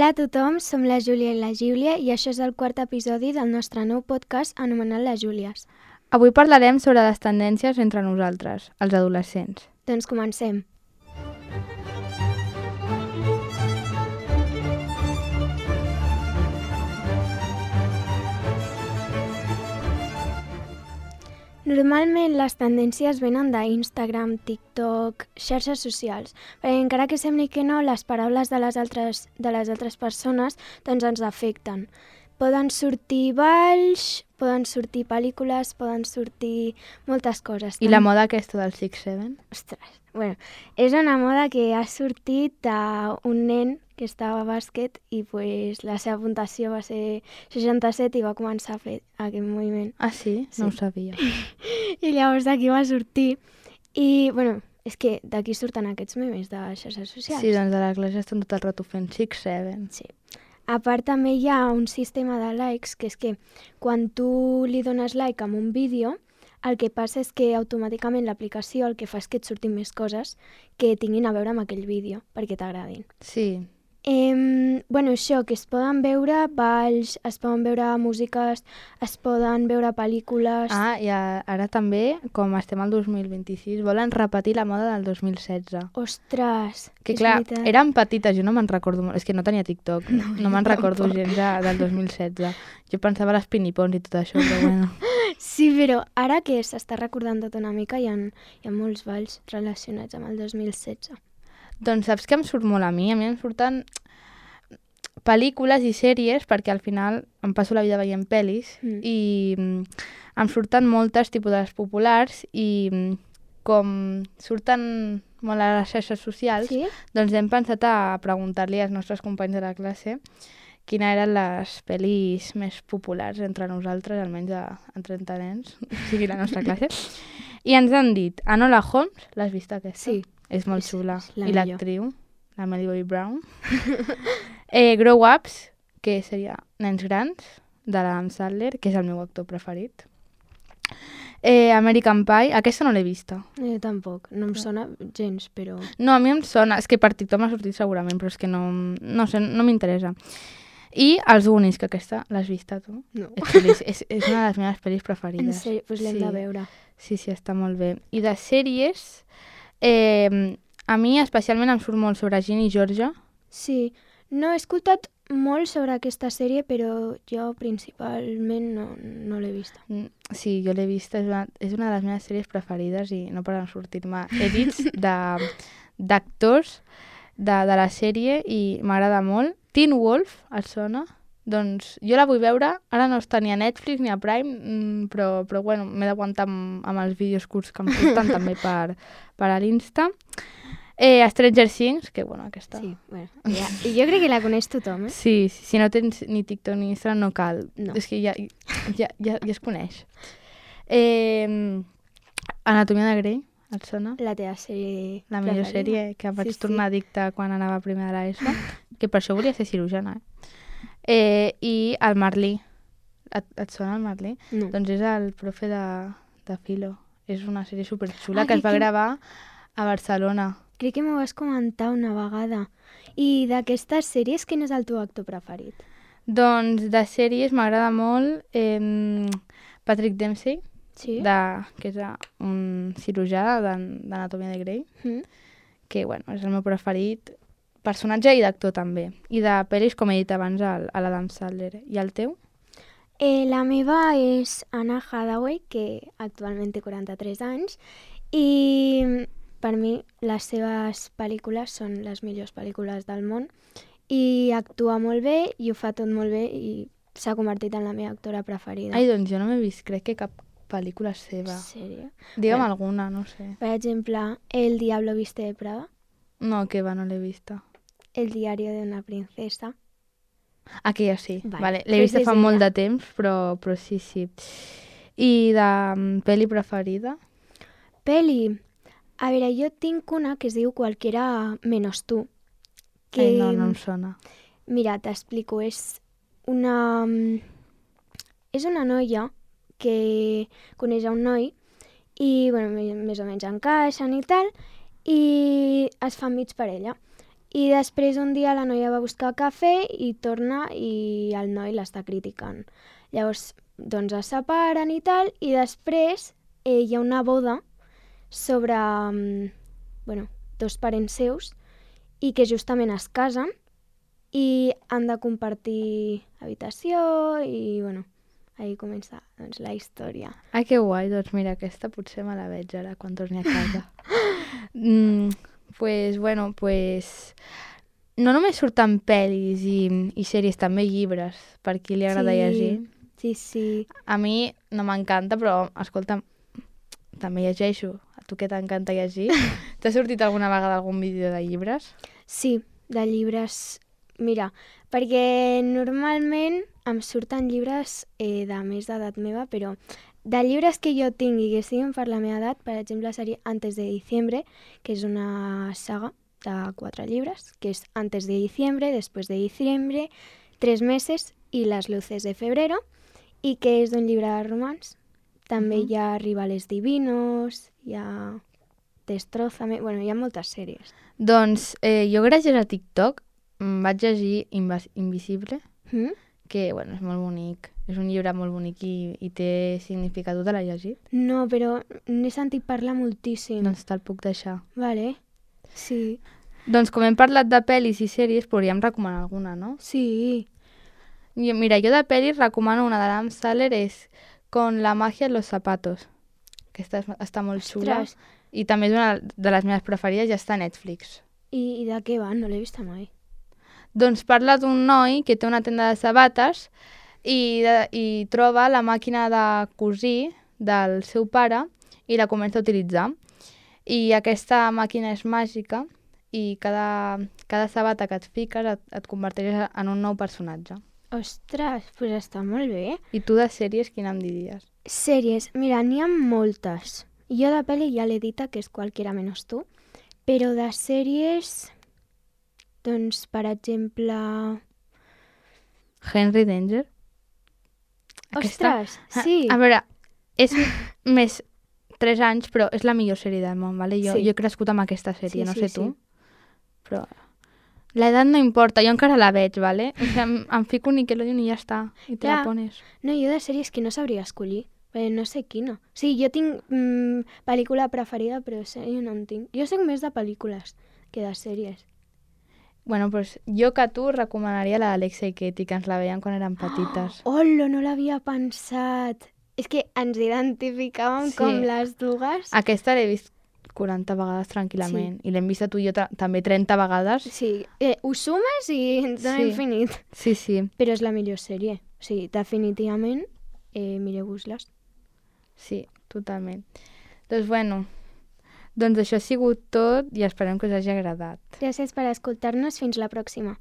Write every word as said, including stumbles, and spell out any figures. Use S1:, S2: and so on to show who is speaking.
S1: Hola a tothom, som la Júlia i la Giulia i això és el quart episodi del nostre nou podcast anomenat Les Júlies.
S2: Avui parlarem sobre les tendències entre nosaltres, els adolescents.
S1: Doncs comencem. Normalment les tendències venen d'Instagram, TikTok, xarxes socials, perquè encara que sembli que no, les paraules de les altres, de les altres persones doncs ens afecten. Poden sortir balls, poden sortir pel·lícules, poden sortir moltes coses.
S2: I la moda aquesta del six seven?
S1: Ostres, bueno, és una moda que ha sortit d'un nen que estava a bàsquet i pues, la seva puntuació va ser seixanta-set i va començar a fer aquest moviment.
S2: Ah, sí?
S1: Sí.
S2: No ho sabia.
S1: I llavors d'aquí va sortir. I, bueno, és que d'aquí surten aquests memes de xarxes socials.
S2: Sí, doncs de la classe estan tot el rato fent six seven.
S1: Sí. A part també hi ha un sistema de likes, que és que quan tu li dones like a un vídeo, el que passa és que automàticament l'aplicació el que fa és que et surtin més coses que tinguin a veure amb aquell vídeo, perquè t'agradin.
S2: Sí.
S1: Eh, bueno, això, que es poden veure balls, es poden veure músiques, es poden veure pel·lícules...
S2: Ah, i a, ara també, com estem al dos mil vint-i-sis, volen repetir la moda del dos mil setze.
S1: Ostres,
S2: Que
S1: és
S2: clar,
S1: veritat.
S2: eren petites, jo no me'n recordo molt, és que no tenia TikTok,
S1: No,
S2: no, no me'n
S1: jo
S2: recordo
S1: tampoc.
S2: gens de, del dos mil setze. Jo pensava a les pinipons i tot això, però bueno.
S1: Sí, però ara que s'està recordant tot una mica, hi ha, hi ha molts balls relacionats amb el dos mil setze.
S2: Doncs saps que em surt molt a mi? A mi em surten pel·lícules i sèries, perquè al final em passo la vida veient pel·lis,
S1: Mm.
S2: i mm, em surten moltes tipus de les populars, i mm, com surten molt a les xarxes socials,
S1: Sí?
S2: doncs hem pensat a preguntar-li als nostres companys de la classe quines eren les pel·lis més populars entre nosaltres, almenys a, a trenta nens, o sigui, la nostra classe. I ens han dit, Enola Holmes, l'has vist aquesta?
S1: Sí.
S2: És molt
S1: És-
S2: xula.
S1: és la
S2: I
S1: millor.
S2: l'actriu, la Millie Bobby Brown. eh, Grow Ups, que seria Nens Grans, de l'Adam Sandler, que és el meu actor preferit. Eh, American Pie, aquesta no l'he vista.
S1: Jo tampoc, no em sona gens, però...
S2: No, a mi em sona, és que per TikTok m'ha sortit segurament, però és que no, no sé, no m'interessa. I Els Goonies, que aquesta l'has vista tu?
S1: No.
S2: És, pel·lis, és, és una de les meves pel·lis
S1: En
S2: preferides.
S1: sèrio, doncs l'hem
S2: Sí.
S1: de veure.
S2: Sí, sí, està molt bé. I de sèries, eh, a mi especialment em surt molt sobre Ginny i Georgia.
S1: Sí, no he escoltat molt sobre aquesta sèrie, però jo principalment no, no l'he vista.
S2: Mm, Sí, jo l'he vista, és una, és una de les meves sèries preferides i no poden sortir-me edits de- d'actors de, de la sèrie i m'agrada molt. Teen Wolf, et sona? Doncs jo la vull veure, ara no està ni a Netflix ni a Prime, mm, però, però bueno, m'he d'aguantar amb, amb els vídeos curts que em surten també per, per a l'Insta. Eh, Stranger Things, que bueno, aquesta...
S1: Sí, bueno, ja, i jo crec que la coneix tothom, eh?
S2: Sí, sí, si no tens ni TikTok ni Instagram no cal.
S1: No.
S2: És que ja, ja, ja, ja es coneix. Eh, Anatomia de Grey, et sona?
S1: La teva sèrie
S2: La millor
S1: preferida.
S2: sèrie que vaig
S1: Sí, sí.
S2: tornar addicta quan anava a primer de l'ESO, que per això volia ser cirurgiana. Eh? Eh, I el Marlí. Et, et sona el Marlí?
S1: No.
S2: Doncs és el profe de, de Filo. És una sèrie superxula
S1: Ah,
S2: que
S1: que-
S2: es va
S1: que-
S2: gravar a Barcelona.
S1: Crec que m'ho vas comentar una vegada. I d'aquestes sèries, quin és el teu actor preferit?
S2: Doncs de sèries m'agrada molt eh, Patrick Dempsey,
S1: Sí?
S2: de, que és eh, un cirurgià d'an- d'Anatomia de Grey,
S1: Mm?
S2: que bueno, és el meu preferit, personatge i d'actor també. I de pel·lis, com he dit abans, el- a l'Adam Sandler. I el teu?
S1: Eh, la meva és Anna Hathaway, que actualment té quaranta-tres anys, i per mi les seves pel·lícules són les millors pel·lícules del món, i actua molt bé, i ho fa tot molt bé, i s'ha convertit en la meva actora preferida.
S2: Ai, doncs jo no m'he vist, crec que cap pel·lícula seva.
S1: En sèrio?
S2: Digue'm
S1: Bueno.
S2: alguna, no sé.
S1: Per exemple, El diablo viste de Prada,
S2: No, que va, no l'he vista.
S1: El diario de una princesa.
S2: Aquella sí,
S1: Vale,
S2: vale. L'he
S1: pues
S2: vista
S1: és
S2: fa molt
S1: ella.
S2: de temps, però, però sí, sí. I de um, pel·li preferida?
S1: Peli. A veure, jo tinc una que es diu Cualquiera menos tú. Que,
S2: Ai, no, no em sona.
S1: Mira, t'explico. És una... És una noia que coneix a un noi i, bueno, me- més o menys encaixen i tal, i es fan mig per ella. I després un dia la noia va buscar cafè i torna i el noi l'està criticant. Llavors, doncs es separen i tal, i després eh, hi ha una boda sobre mm, bueno, dos parents seus i que justament es casen i han de compartir habitació i, bueno, ahí comença doncs, la història.
S2: Ai, que guai, doncs mira, aquesta potser me la veig ara quan torni a casa. mm, pues, bueno, pues... No només surten pel·lis i, i sèries, també llibres, per qui li agrada
S1: sí,
S2: llegir.
S1: Sí, sí.
S2: A mi no m'encanta, però, escolta, també llegeixo. A tu que t'encanta llegir? T'ha sortit alguna vegada algun vídeo de llibres?
S1: Sí, de llibres. Mira, perquè normalment em surten llibres eh, de més d'edat meva, però de llibres que jo tingui que siguin per la meva edat, per exemple, seria Antes de diciembre, que és una saga de quatre llibres, que és Antes de diciembre, Después de diciembre, Tres meses i Las luces de febrero, i que és d'un llibre de romans. També uh -huh. hi ha Rivales divinos, hi ha Destrózame... Bueno, hi ha moltes sèries.
S2: Doncs eh, jo gràcies a TikTok vaig llegir Invas Invisible,
S1: Mm?
S2: que bueno, és molt bonic. És un llibre molt bonic i, i té significat. Tu te l'has llegit?
S1: No, però n'he sentit parlar moltíssim.
S2: Doncs te'l puc deixar.
S1: Vale, sí.
S2: Doncs com hem parlat de pel·lis i sèries, podríem recomanar alguna, no?
S1: Sí.
S2: Jo, mira, jo de pel·lis recomano una de l'Adam Sandler, és Con la magia en los zapatos. Aquesta és, està molt xula.
S1: Ostres.
S2: I també és una de les meves preferides, ja està a Netflix.
S1: I, I de què va? No l'he vista mai.
S2: Doncs parla d'un noi que té una tenda de sabates i, de, i troba la màquina de cosir del seu pare i la comença a utilitzar. I aquesta màquina és màgica i cada, cada sabata que et fiques et, et converteix en un nou personatge.
S1: Ostres, doncs pues està molt bé.
S2: I tu de sèries quina em diries?
S1: Sèries, mira, n'hi ha moltes. Jo de pel·li ja l'he dita, que és Cualquiera menos tú, però de sèries, doncs, per exemple...
S2: Henry Danger.
S1: Ostres, sí.
S2: A, a veure, és més tres anys, però és la millor sèrie del món, vale? Jo,
S1: Sí.
S2: jo he crescut amb aquesta sèrie,
S1: Sí,
S2: no
S1: sí,
S2: sé
S1: sí.
S2: tu. Però l'edat no importa, jo encara la veig, vale? O sigui, em, em fico un Nickelodeon i ja està, i te
S1: Ja.
S2: la pones.
S1: No, jo de sèries que no sabria escollir, perquè no sé quina. Sí, jo tinc mm, pel·lícula preferida, però sèrie no en tinc. Jo soc més de pel·lícules que de sèries.
S2: Bueno, doncs jo que tu recomanaria la d'Alexa i Katie, que ens la veiem quan érem petites.
S1: Hola, no l'havia pensat. És que ens identificàvem
S2: Sí.
S1: com les dues.
S2: Aquesta l'he vist quaranta vegades tranquil·lament. I l'hem vist a tu i jo ta- també trenta vegades.
S1: Sí, eh, ho sumes i ens dona
S2: Sí.
S1: infinit.
S2: Sí, sí,
S1: Però és la millor sèrie. O sigui, definitivament, eh, mireu-vos-les.
S2: sí, totalment. Doncs bueno, doncs això ha sigut tot i esperem que us hagi agradat.
S1: Gràcies per escoltar-nos. Fins la pròxima.